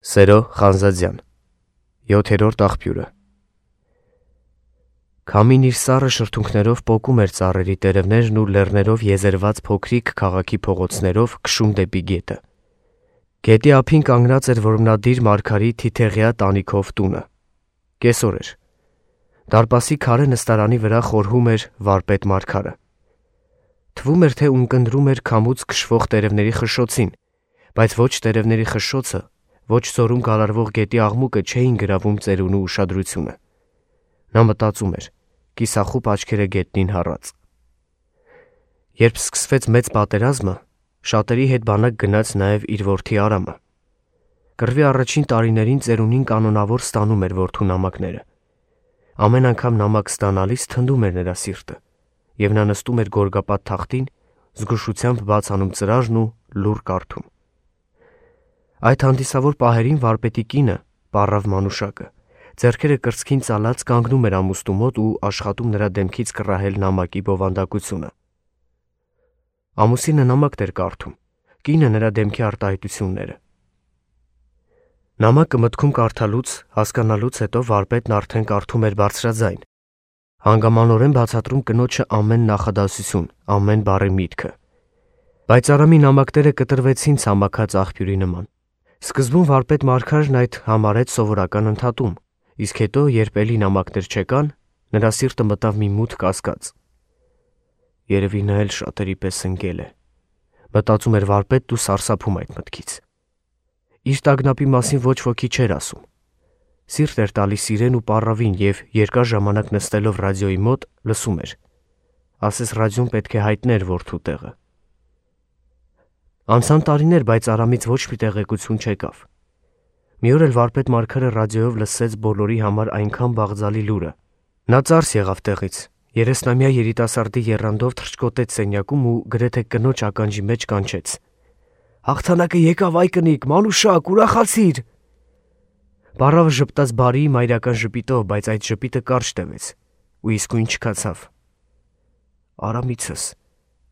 Սերո Խանզադյան 7-րդ աղբյուրը Քամին իր սառը շրթունքներով պոկում էր ծառերի տերևներն ու լեռներով եզերված փոքրիկ քաղաքի փողոցներով քշում դեպի գետը։ Գետի ափին կանգնած էր որմնադիր մարգարի թիթեղյա տանիքով տունը։ Կեսօր էր։ Դարպասի քարե նստարանի վրա խորհում էր վարպետ մարգարը։ Թվում էր, թե ունկնդրում էր քամուց քշվող տերևների խշշոցին, բայց ոչ տերևների խշշոցը, ոչ զորում գալարվող գետի աղմուկը չէին գրավում ծերունու ուշադրությունը։ Նա մտածում էր, կիսախուպ աչքերը գետնին հառած։ Երբ սկսվեց մեծ պատերազմը, շատերի հետ բանակ գնաց նաև իր որդի Արամը։ Կռվի առաջին տարիներին ծերունին կանոնավոր ստանում էր որդու նամակները։ Ամեն անգամ նամակ ստանալիս թնդում էր նրա սիրտը, եւ նա նստում էր գորգապատ թախտին, զգուշությամբ բաց անում ծրարն ու լուռ կարդում։ Այդ հանդիսավոր պահերին վարպետի կինը, պառավ Մանուշակը, ձեռքերը կրծքին ծալած կանգնում էր ամուստու մոտ ու աշխատում նրա դեմքից կռահել նամակի բովանդակությունը։ Ամուսինը նամակն էր կարդում, կինը նրա դեմքի արտահայտությունները։ Նամակը մտքում կարդալուց, հասկանալուց հետո վարպետն արդեն կարդում էր բարձրաձայն, հանգամանորեն բացատրում կնոջը ամեն նախադասություն, ամեն բառի միտքը։ Բայց Արամի նամակները կտրվեցին ցամաքած աղբյուրի նման։ Սկզբում վարպետ մարգարն այդ համարեց սովորական ընդհատում, իսկ հետո, երբ էլի նամակներ չեկան, նրա սիրտը մտավ մի մութ կասկած։ Երևի նա էլ շատերի պես ընկել է, մտածում էր վարպետն ու սարսափում այդ մտքից։ Իր տագնապի մասին ոչ ոքի չէր ասում։ Սիրտ էր տալիս իրեն ու պառավին և երկար ժամանակ նստելով ռադիոյի մոտ լսում էր։ Ասես ռադիոն պետք է հայտներ որդու տեղը։ Անցան տարիներ, բայց Արամից ոչ մի տեղեկություն չեկավ։ Մի օր էլ վարպետ մարգարը ռադիոյով լսեց բոլորի համար այնքան բաղձալի լուրը։ Նա ծարս եղավ տեղից, 30-ամյա երիտասարդի եռանդով թռչկոտեց սենյակում ու գրեթե կնոջ ականջի մեջ կանչեց. «Հաղթանակը եկավ, այ կնիկ, Մանուշակ, ուրախացիր»։ Պառավը ժպտաց բարի մայրական ժպիտով, բայց այդ ժպիտը կարճ տևեց ու իսկույն չքացավ։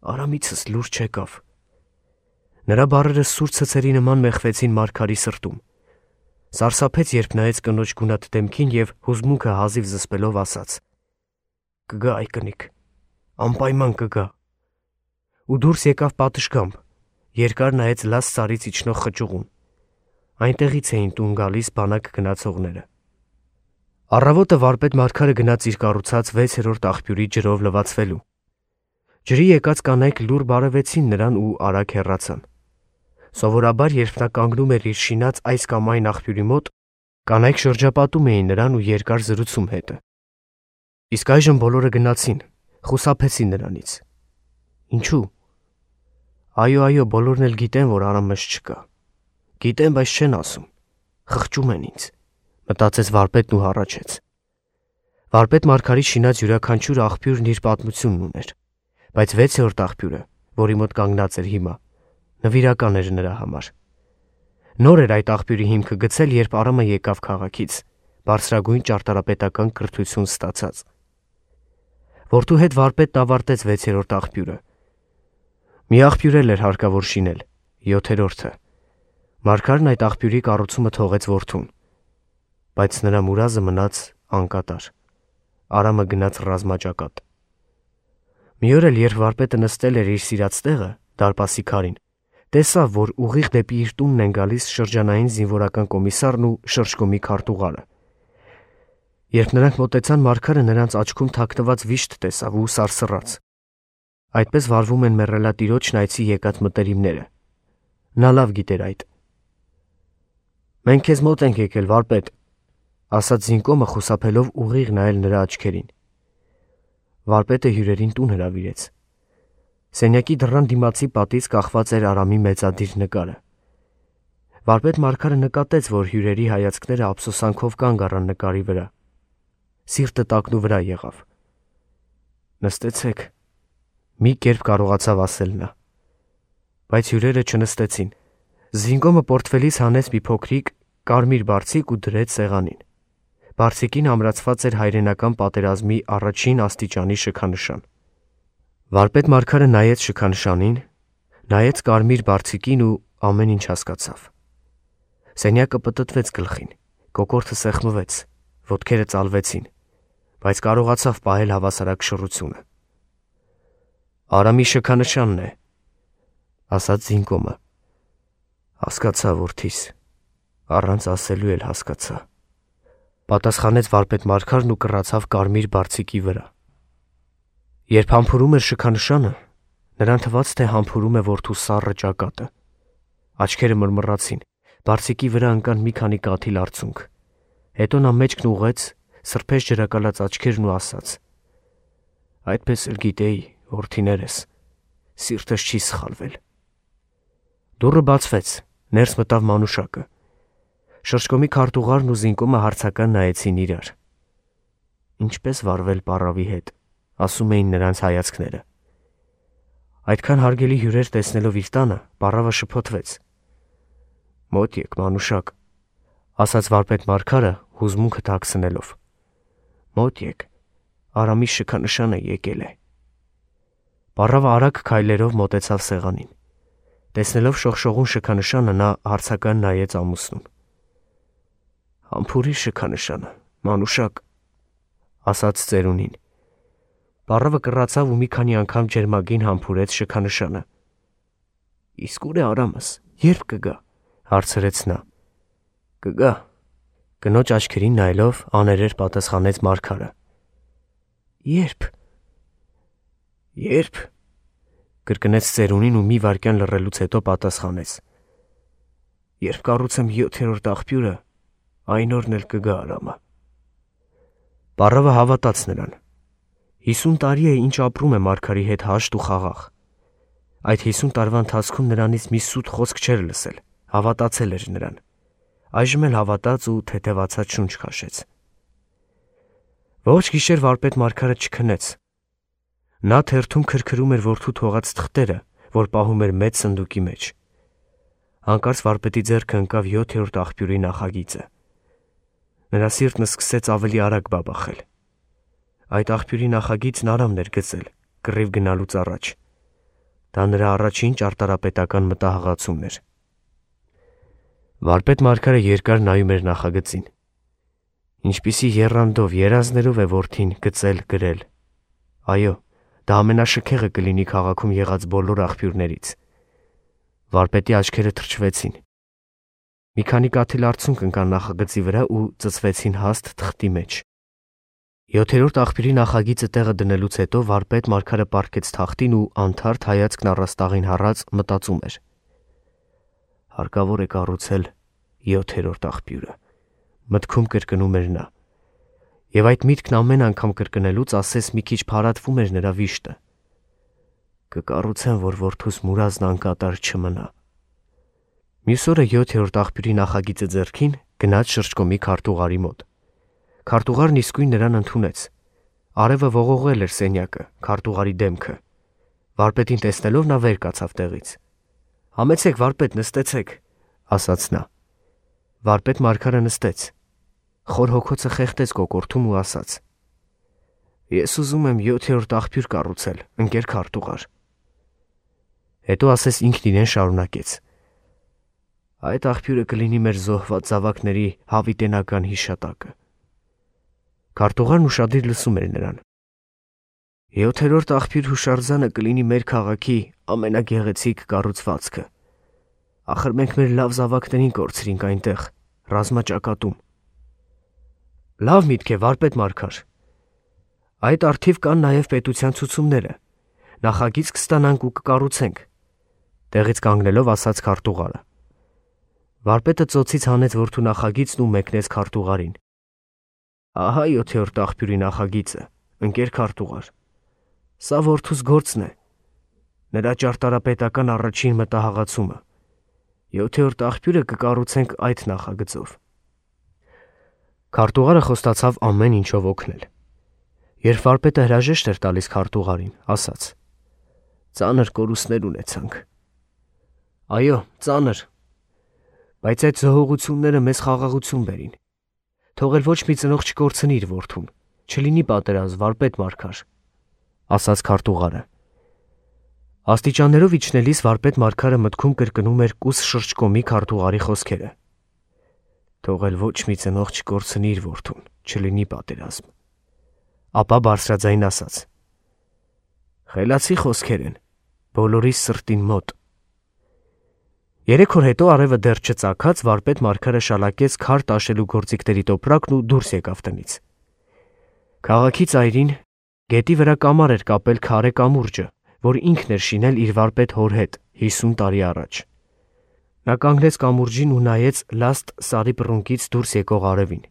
Արամիցս լուր չեկավ։ Նրա բառերը սուր ցցերի նման մեխվեցին մարգարի սրտում։ Սարսափեց, երբ նայեց կնոջ գունատ դեմքին և հուզմունքը հազիվ զսպելով ասաց. «Կգա, այ կնիկ, անպայման կգա»։ Ու դուրս եկավ պատշգամբ, երկար նայեց լաց սարից իջնող խճուղուն։ Այնտեղից էին տուն գալիս բանակ գնացողները։ Առավոտը վարպետ մարգարը գնաց իր կառուցած 6-րդ աղբյուրի ջրով լվացվելու։ Ջրի եկած կանայք լուռ բարևեցին նրան ու արագ հեռացան։ Սովորաբար, երբ նա կանգնում էր իր շինած այս կամ այն աղբյուրի մոտ, կանայք շրջապատում էին նրան ու երկար զրուցում հետը։ Իսկ այժմ բոլորը գնացին, խուսափեցին նրանից։ Ինչու՞։ Այո, բոլորն էլ գիտեն, որ Արամս չկա։ Գիտեն, բայց չեն ասում։ Խղճում են ինձ, մտածեց վարպետն ու հառաչեց։ Վարպետ մարգարի շինած յուրաքանչյուր աղբյուրն իր պատմությունն ուներ, բայց 6-րդ աղբյուրը, որի մոտ կանգնած էր հիմա, նվիրական էր նրա համար։ Նոր էր այդ աղբյուրի հիմքը գցել, երբ Արամը եկավ քաղաքից, բարձրագույն ճարտարապետական կրթություն ստացած։ Որդու հետ վարպետն ավարտեց 6-րդ աղբյուրը։ Մի աղբյուր էլ էր հարկավոր շինել, 7-րդը։ Մարգարն այդ աղբյուրի կառուցումը թողեց որդուն, բայց նրա մուրազը մնաց անկատար։ Արամը գնաց ռազմաճակատ։ Մի օր էլ, երբ վարպետը նստել էր իր սիրած տեղը, դարպասի քարին, տեսավ, որ ուղիղ դեպի իր տունն են գալիս շրջանային զինվորական կոմիսարն ու շրջկոմի քարտուղարը։ Երբ նրանք մոտեցան, մարգարը նրանց աչքում թաքնված վիշտ տեսավ ու սարսռաց։ Այդպես վարվում են մեռելատիրոջն այցի եկած մտերիմները։ Նա լավ գիտեր այդ։ «Մենք քեզ մոտ ենք եկել, վարպետ», ասաց զինկոմը խուսափելով ուղիղ նայել նրա աչքերին։ Վարպետը հյուրերին տուն հրավիրեց։ Սենյակի դռան դիմացի պատից կախված էր Արամի մեծադիր նկարը։ Վարպետ մարգարը նկատեց, որ հյուրերի հայացքները ափսոսանքով կանգ առան նկարի վրա։ Սիրտը տակնու վրա եղավ։ «Նստեցեք», մի կերպ կարողացավ ասել նա։ Բայց հյուրերը չնստեցին։ Զինկոմը պորտֆելից հանեց մի փոքրիկ կարմիր բարձիկ ու դրեց սեղանին։ Բարձիկին ամրացված էր հայրենական պատերազմի առաջին աստիճանի շքանշան։ Վարպետ մարգարը նայեց շքանշանին, նայեց կարմիր բարձիկին ու ամեն ինչ հասկացավ։ Սենյակը պտտվեց գլխին, կոկորդը սեղմվեց, ոտքերը ծալվեցին, բայց կարողացավ պահել հավասարակշռությունը։ Արամի շքանշանն է, ասաց Զինկոմը։ Հասկացա, որդիս, առանց ասելու էլ հասկացա, պատասխանեց վարպետ Մարգարն ու կռացավ կարմիր բարձիկի վրա։ Երբ համբուրում էր շքանշանը, նրան թվաց, թե համբուրում է որդու սառը ճակատը։ Աչքերը մռմռացին, բարձիկի վրա ընկան մի քանի կաթիլ արցունք։ Հետո նա մեջքն ուղղեց, սրբեց ջրակալած աչքերն ու ասաց. Այդպես էլ գիտեի, որդիներս, սիրտս չի սխալվել։ Դուռը բացվեց, ներս մտավ Մանուշակը։ Շրջկոմի քարտուղարն ու Զինկոմը հարցական նայեցին իրար։ Ինչպես վարվել պառավի հետ, ասում էին նրանց հայացքները։ Այդքան հարգելի հյուրեր տեսնելով իր տանը, պառավը շփոթվեց։ Մոտ եք, Մանուշակ, ասաց վարպետ Մարգարը հուզմունքը թաքցնելով։ Մոտ եք, Արամի շքանշանը եկել է։ Պառավը արագ քայլերով մոտեցավ սեղանին։ Տեսնելով շողշողուն շքանշանը, նա հարցական նայեց ամուսնուն։ Համբուրի շքանշանը, Մանուշակ, ասաց ծերունին։ Պառավը կռացավ ու մի քանի անգամ ջերմագին համբուրեց շքանշանը։ Իսկ ուր է Արամս, երբ կգա, հարցրեց նա։ Կգա, կնոջ աչքերին նայելով աներեր պատասխանեց Մարգարը։ Երբ։ Երբ, կրկնեց ծերունին ու մի վայրկյան լռելուց հետո պատասխանեց։ Երբ կառուցեմ 7-րդ աղբյուրը, այն օրն էլ կգա Արամը։ Պառավը հավատաց նրան։ 50 տարի է ինչ ապրում է Մարգարի հետ հաշտ ու խաղաղ։ Այդ 50 տարվա ընթացքում նրանից մի սուտ խոսք չէր լսել, հավատացել էր նրան։ Այժմ էլ հավատաց ու թեթևացած շունչ քաշեց։ Ոչ գիշեր վարպետ Մարգարը չքնեց։ Նա թերթում քրքրում էր որդու թողած թղթերը, որ պահում էր մեծ սնդուկի մեջ։ Հանկարծ վարպետի ձեռքը ընկավ 7-րդ աղբյուրի նախագիծը։ Նրա սիրտն սկսեց ավելի արագ բաբախել։ Այդ աղբյուրի նախագիծն Արամն էր գծել, կռիվ գնալուց առաջ։ Դա նրա առաջին ճարտարապետական մտահղացումն էր։ Վարպետ Մարգարը երկար նայում էր նախագծին։ Ինչպիսի եռանդով, երազներով է որդին գծել գրել։ Այո, դա ամենաշքեղը կլինի քաղաքում եղած բոլոր աղբյուրներից։ Վարպետի աչքերը թրջվեցին։ Մի քանի կաթիլ արցունք ընկան նախագծի վրա ու ծծվեցին հաստ թղթի մեջ։ 7-րդ աղբյուրի նախագիծը տեղը դնելուց հետո վարպետ Մարգարը պառկեց թախտին ու անթարթ հայացքն առաստաղին հառած մտածում էր։ Հարկավոր է կառուցել 7-րդ աղբյուրը, մտքում կրկնում էր նա։ Եվ այդ միտքն ամեն անգամ կրկնելուց ասես մի քիչ փարատվում էր նրա վիշտը։ Կկառուցեմ, որ որդուս մուրազն անկատար չմնա։ Մյուս օրը 7-րդ աղբյուրի նախագիծը ձեռքին գնաց շրջկոմի քարտուղարի մոտ։ Քարտուղարն իսկույն նրան ընդունեց։ Արևը ողողել էր սենյակը, քարտուղարի դեմքը։ Վարպետին տեսնելով նա վեր կացավ տեղից։ Համեցեք, վարպետ, նստեցեք, ասաց նա։ Վարպետ Մարգարը նստեց։ Խոր հոգոցը խեղդեց կոկորդում ու ասաց. Ես ուզում եմ 7-րդ աղբյուր կառուցել, ընկեր քարտուղար։ Հետո ասես ինքն իրեն շարունակեց. Այդ աղբյուրը կլինի մեր զոհված զավակների հավիտենական հիշատակը։ Քարտուղարն ուշադիր լսում էր նրան։ 7-րդ աղբյուր հուշարձանը կլինի մեր քաղաքի ամենագեղեցիկ կառուցվածքը։ Ախր մենք մեր լավ զավակներին կորցրինք այնտեղ, ռազմաճակատում։ Լավ միտք է, վարպետ Մարգար։ Այդ արդիվ կան նաև պետության ցուցումները։ Նախագիծ կստանանք ու կկառուցենք, տեղից կանգնելով ասաց քարտուղարը։ Վարպետը ծոցից հանեց որդու նախագիծն ու մեկնեց քարտուղարին։ Ահա 7-րդ աղբյուրի նախագիծը, ընկեր քարտուղար։ Սա որդուս գործն է։ Նրա ճարտարապետական առաջին մտահղացումը։ 7-րդ աղբյուրը կկառուցենք այդ նախագծով։ Քարտուղարը խոստացավ ամեն ինչով օգնել։ Երբ վարպետը հրաժեշտ էր տալիս քարտուղարին, ասաց. Ծանր կորուստներ ունեցանք։ Այո, ծանր։ Բայց այդ զոհողությունները մեզ խաղաղություն բերին։ Թողել ոչ մի ծնող չկորցնի իր որդուն, չլինի պատերազմ, վարպետ Մարգար, ասաց քարտուղարը։ Աստիճաններով իջնելիս վարպետ Մարգարը մտքում կրկնում էր կուս շրջկոմի քարտուղարի խոսքերը։ թողել ոչ մի ծնող չկորցնի իր որդուն, չլինի պատերազմ։ Ապա բարձրաձայն ասաց. խելացի խոսքեր են, բոլորիս սրտին մոտ։ 3 օր հետո արևը դեռ չծագած վարպետ Մարգարը շալակեց քար տաշելու գործիքների տոպրակն ու դուրս եկավ տնից։ Քաղաքի ծայրին գետի վրա կամար էր կապել քարե կամուրջը, որ ինքն էր շինել իր վարպետ հոր հետ 50 տարի առաջ։ Նա կանգնեց կամուրջին ու նայեց լաստ սարի պռունկից դուրս եկող արևին։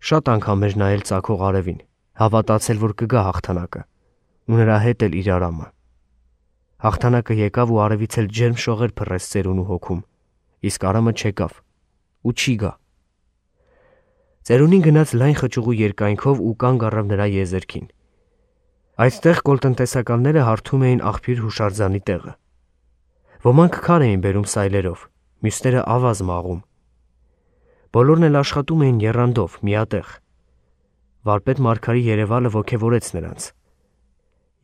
Շատ անգամ էր նայել ծագող արևին, հավատացել, որ կգա հաղթանակը, ու նրա հետ էլ իր արամը։ Հաղթանակը եկավ ու արևից էլ ջերմ շողեր փռեց ծերուն ու հոգում, իսկ արամը չեկավ ու չի գա։ Ծերունին գնաց լայն խճուղու երկայնքով ու կանգ առավ նրա եզերքին։ Այդտեղ կոլտնտեսականները հարթում էին աղբյուր հուշարձանի տեղը։ Ոմանք քար էին բերում սայլերով, մյուսները ավազ մաղում։ Բոլորն էլ աշխատում էին եռանդով, միատեղ։ Վարպետ Մարգարի երևալը ոգևորեց նրանց։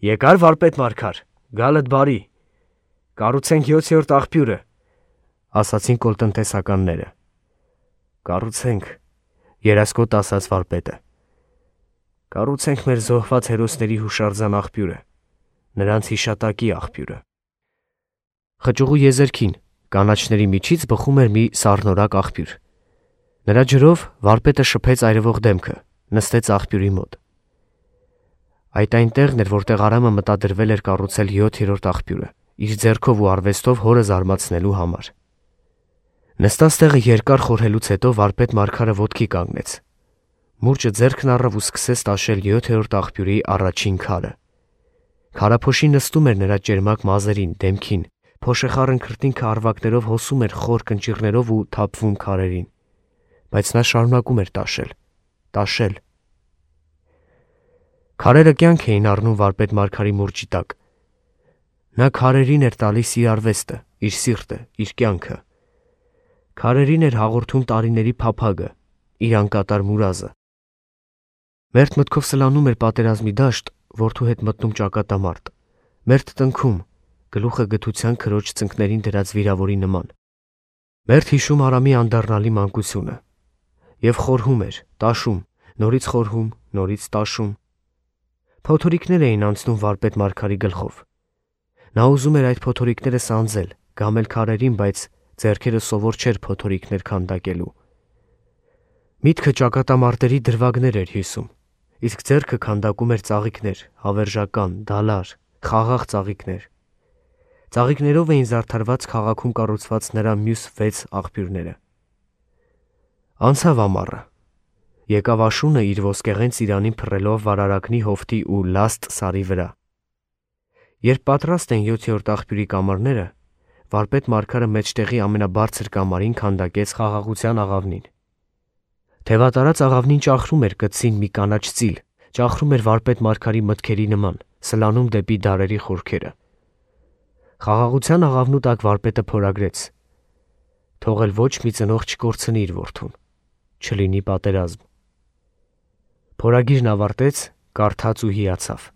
Եկար վարպետ Մարգար, գալդ բարի, կառուցենք 7-րդ աղբյուրը, ասացին կոլտնտեսականները։ Կառուցենք, երասկոտ ասաց վարպետը։ Կառուցենք մեր զոհված հերոսների հուշարձան աղբյուրը, նրանց հիշատակի աղբյուրը։ Խճուղու եզերքին կանաչների միջից բխում էր մի սառնորակ աղբյուր։ Նրա ջրով վարպետը շփեց այրվող դեմքը, նստեց աղբյուրի մոտ։ Այդ այնտեղն էր, որտեղ արամը մտադրվել էր կառուցել 7-րդ աղբյուրը, իր ձեռքով ու արվեստով հորը զարմացնելու համար։ Նստած տեղը երկար խորհելուց հետո վարպետ Մարգարը ոտքի կանգնեց։ Մուրճը ձեռքն առավ ու սկսեց տաշել 7-րդ աղբյուրի առաջին քարը։ Քարափոշի նստում էր նրա ճերմակ մազերին, դեմքին, փոշեխառն քրտինքը արվակներով հոսում էր խոր կնճիռներով ու թափվում քարերին։ Բայց նա շարունակում էր տաշել։ Քարերը կյանք էին առնում վարպետ Մարգարի մուրճի տակ։ Նա քարերին էր տալիս իր արվեստը, իր սիրտը, իր կյանքը։ Քարերին էր հաղորդում տարիների փափագը, իր անկատար մուրազը։ Մերթ մտքով սլանում էր պատերազմի դաշտ, որդու հետ մտնում ճակատամարտ, մերթ տնքում, գլուխը գթության քրոջ ծնկներին դրած վիրավորի նման։ Մերթ հիշում Արամի անդառնալի մանկությունը և խորհում էր, տաշում, նորից խորհում, նորից տաշում։ Փոթորիկներ էին անցնում վարպետ Մարգարի գլխով։ Նա ուզում էր այդ փոթորիկները սանձել, գամել քարերին, բայց ձեռքերը սովոր չէր փոթորիկներ քանդակելու։ Միտքը ճակատամարտերի դրվագներ էր հյուսում, իսկ ձեռքը քանդակում էր ծաղիկներ, հավերժական, դալար, խաղաղ ծաղիկներ։ Ծաղիկներով էին զարդարված քաղաքում կառուցված նրա մյուս 6 աղբյուրները։ Անցավ ամառը։ Եկավ աշունը իր ոսկեղեն ծիրանին փռելով վարարակնի հովտի ու լաստ սարի վրա։ Երբ պատրաստ են 7-րդ աղբյուրի կամարները, վարպետ Մարգարը մեջտեղի ամենաբարձր կամարին քանդակեց խաղաղության աղավնին։ Թևատարած աղավնին ճախրում էր կծին մի կանաչ ծիլ, ճախրում էր վարպետ Մարգարի մտքերի նման, սլանում դեպի դարերի խորքերը։ Խաղաղության աղավնու տակ վարպետը փորագրեց. թողել ոչ մի ծնող չկորցնի իր որդուն, չլինի պատերազմ։ Փորագիրն ավարտեց, կարդաց ու հիացավ։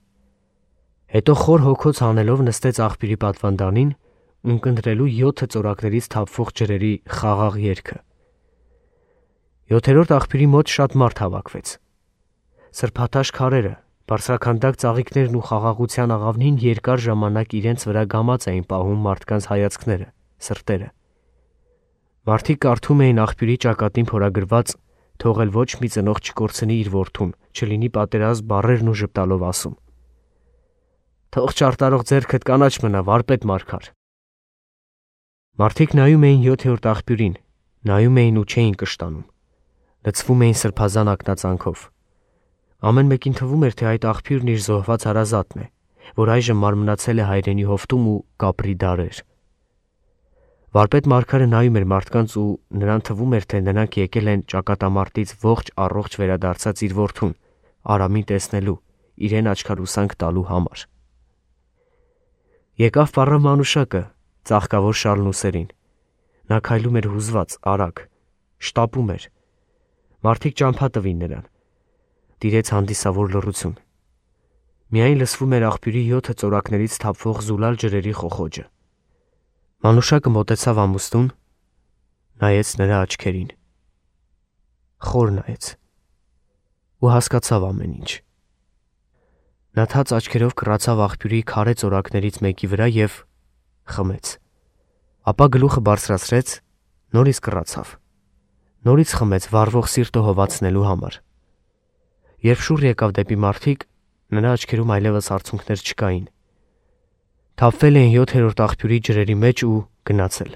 Հետո խոր հոգոց հանելով նստեց աղբյուրի պատվանդանին, ունկնդրելու 7 ծորակներից թափվող ջրերի խաղաղ երգը։ 7-րդ աղբյուրի մոտ շատ մարդ հավաքվեց։ Սրբաթաշ քարերը, բարձրաքանդակ ծաղիկներն ու խաղաղության աղավնին երկար ժամանակ իրենց վրա գամած էին պահում մարդկանց հայացքները, սրտերը։ Մարդիկ կարդում էին աղբյուրի ճակատին փորագրված թողել ոչ մի ծնող չկորցնի իր որդուն, չլինի պատերազմ բառերն ու ժպտալով ասում. թող չարտարող ձեռքդ կանաչ մնա, վարպետ Մարգար։ Մարդիկ նայում էին 7-րդ աղբյուրին, նայում էին ու չէին կշտանում, լցվում էին սրբազան ակնածանքով։ Ամեն մեկին թվում էր, թե այդ աղբյուրն իր զոհված հարազատն է, որ այժմ մարմնացել է հայրենի հովտում ու կապրի դարեր։ Վարպետ Մարգարը նայում էր մարդկանց ու նրան թվում էր, թե նրանք եկել են ճակատամարտից ողջ առողջ վերադարձած իր որդուն, Արամին տեսնելու, իրեն աչքարուսանք տալու համար։ Եկավ պառավ մանուշակը, ծաղկավոր շալն ուսերին։ Նա քայլում էր հուզված, արագ, շտապում էր։ Մարդիկ ճամփա տվին նրան։ Տիրեց հանդիսավոր լռություն։ Միայն լսվում էր աղբյուրի 7 ծորակներից թափվող զուլալ ջրերի խոխոջը։ Մանուշակը մոտեցավ ամուսնուն, նայեց նրա աչքերին։ խոր նայեց ու հասկացավ ամեն ինչ։ Նա թաց աչքերով կռացավ աղբյուրի քարե ծորակներից մեկի վրա և խմեց, ապա գլուխը բարձրացրեց, նորից կռացավ, նորից խմեց վառվող սիրտը հովացնելու համար։ Երբ շուռ եկավ դեպի մարդիկ, նրա աչքերում այլևս արցունքներ չկային։ Թափվել էին 7-րդ աղբյուրի ջրերի մեջ ու գնացել։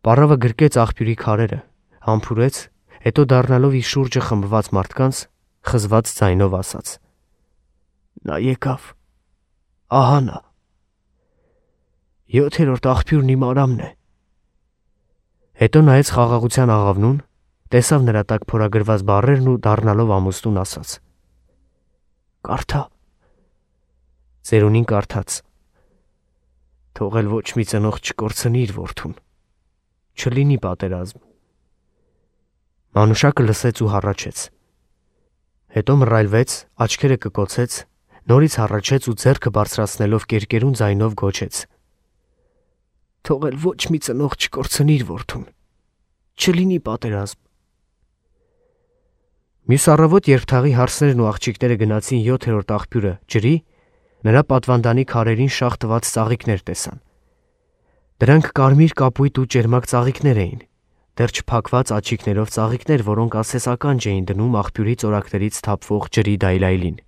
Պառավը գրկեց աղբյուրի քարերը, համբուրեց, հետո դառնալով իր շուրջը խմբված մարդկանց, խզված ձայնով ասաց. «Նա եկավ, ահա նա, 7-րդ աղբյուրն իմ Արամն է»։ Հետո նայեց խաղաղության աղավնուն, տեսավ նրա տակ փորագրված բառերն ու դառնալով ամուսնուն ասաց. «Կարդա»։ Ծերունին կարդաց. «Թողել ոչ մի ծնող չկորցնի իր որդուն, չլինի պատերազմ»։ Մանուշակը լսեց ու հառաչեց։ Հետո մռայլվեց, աչքերը կկոցեց, նորից հառաչեց ու ձեռքը բարձրացնելով կերկերուն ձայնով գոչեց. «Թողել ոչ մի ծնող չկորցնի իր որդուն, չլինի պատերազմ»։ Մյուս առավոտ, երբ թաղի հարսներն ու աղջիկները գնացին 7-րդ աղբյուրը ջրի, նրա պատվանդանի քարերին շաղ տված ծաղիկներ տեսան։ Դրանք կարմիր կապույտ ու ճերմակ ծաղիկներ էին, դեռ չփակված աչիկներով ծաղիկներ, որոնք ասեսականջ էին դնում աղբյուրի ծորակներից թափվող ջրի դայլայլին։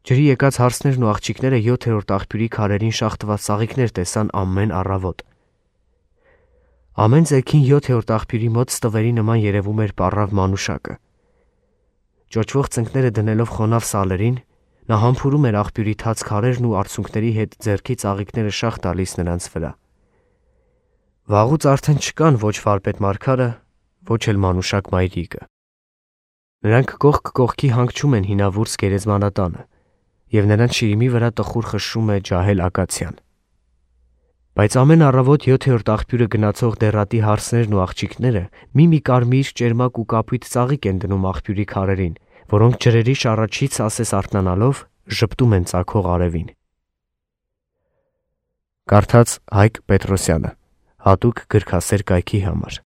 Ջրի եկած հարսներն ու աղջիկները 7-րդ աղբյուրի քարերին շաղ տված ծաղիկներ տեսան ամեն առավոտ։ Ամեն ձեքին 7-րդ աղբյուրի մոտ ստվերի նման երևում էր պառավ մանուշակը։ Ճոճվող ծնկները դնելով խոնավ սալերին, նա համբուրում էր աղբյուրի թաց քարերն ու արցունքների հետ ձեռքի ծաղիկները շաղ տալիս նրանց վրա։ Վաղուց արդեն չկան ոչ վարպետ Մարգարը, ոչ էլ մանուշակ մայրիկը։ Նրանք կողք կողքի հանգչում են հինավուրց գերեզմանատանը, և նրանց շիրիմի վրա տխուր խշշում է ջահել ակացիան։ Բայց ամեն առավոտ 7-րդ աղբյուրը գնացող դեռատի հարսներն ու աղջիկները մի կարմիր, ճերմակ ու կապույտ ծաղիկ են դնում աղբյուրի քարերին, որոնք ջրերի շառաչից ասես արթնանալով ժպտում են ծագող արևին։ Կարդաց Հայկ Պետրոսյանը, հատուկ գրքասեր կայքի համար։